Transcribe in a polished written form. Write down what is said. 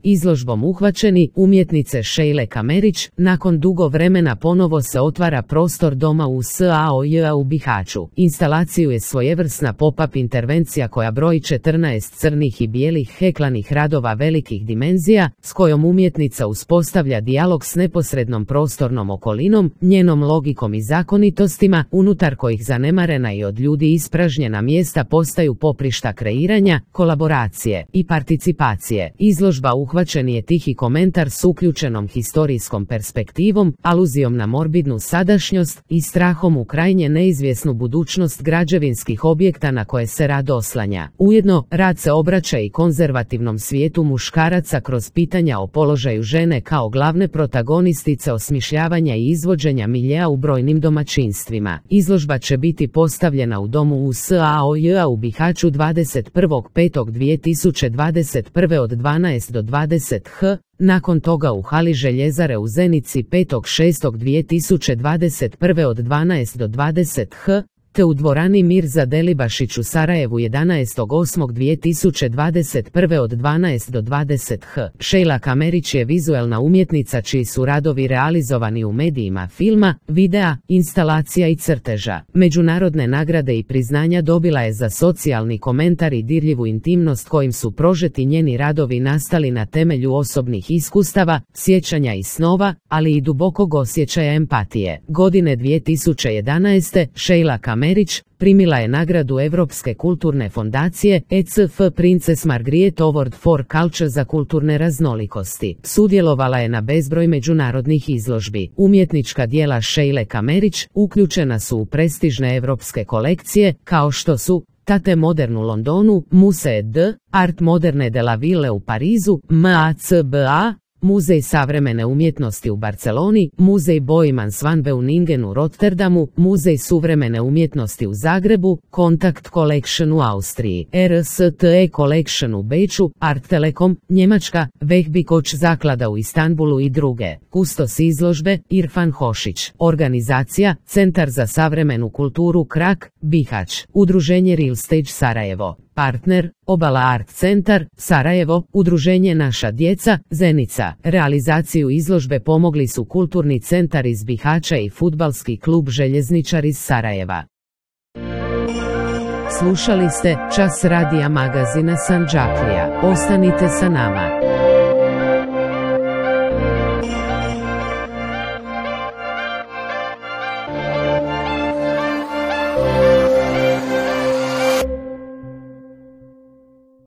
Izložbom uhvaćeni umjetnice Šejle Kamerić, nakon dugo vremena ponovo se otvara prostor doma u SAOJ u Bihaću. Instalaciju je svojevrsna pop-up intervencija koja broji 14 crnih i bijelih heklanih radova velikih dimenzija, s kojom umjetnica uspostavlja dijalog s neposrednom prostornom okolinom, njenom logikom i zakonitostima, unutar kojih zanemarena i od ljudi ispražnjena mjesta postaju poprišta kreiranja, kolaboracije i participacije. Izložba uhvaćeni je tihi komentar s uključenom historijskom perspektivom, aluzijom na morbidnu sadašnjost i strahom u krajnje neizvjesnu budućnost građevinskih objekta na koje se rad oslanja. Ujedno, rad se obraća i konzervativnom svijetu muškaraca kroz pitanja o položaju žene kao glavne protagonistice osmišljavanja i izvođenja miljea u brojnim domaćinstvima. Izložba će biti postavljena u domu u SAOJ u Bihaću 21.5.2021. od 12 do 20 h, nakon toga u hali Željezare u Zenici 5.6.2021. od 12 do 20 h, te u dvorani Mirza Delibašić u Sarajevu 11.8.2021. od 12 do 20 h. Šejla Kamerić je vizuelna umjetnica čiji su radovi realizovani u medijima filma, videa, instalacija i crteža. Međunarodne nagrade i priznanja dobila je za socijalni komentar i dirljivu intimnost kojim su prožeti njeni radovi nastali na temelju osobnih iskustava, sjećanja i snova, ali i dubokog osjećaja empatije. Godine 2011. Šejla Kamerić primila je nagradu Europske kulturne fondacije ECF Princess Margriet Award for Culture za kulturne raznolikosti. Sudjelovala je na bezbroj međunarodnih izložbi. Umjetnička djela Šejle Kamerić uključena su u prestižne europske kolekcije, kao što su Tate Modern u Londonu, Musée d' Art Moderne de la Ville u Parizu, MACBA, Muzej savremene umjetnosti u Barceloni, Muzej Boijmans van Beuningen u Rotterdamu, Muzej suvremene umjetnosti u Zagrebu, Contact Collection u Austriji, RSTE Collection u Beču, Art Telekom, Njemačka, Vehbikoć zaklada u Istanbulu i druge. Kustos izložbe, Irfan Hošić. Organizacija, Centar za savremenu kulturu Krak, Bihać. Udruženje Real Stage Sarajevo. Partner, Obala Art Centar, Sarajevo, Udruženje Naša djeca, Zenica. Realizaciju izložbe pomogli su Kulturni centar iz Bihaća i Fudbalski klub Željezničar iz Sarajeva. Slušali ste Čas radija magazina Sandžaklija. Ostanite sa nama.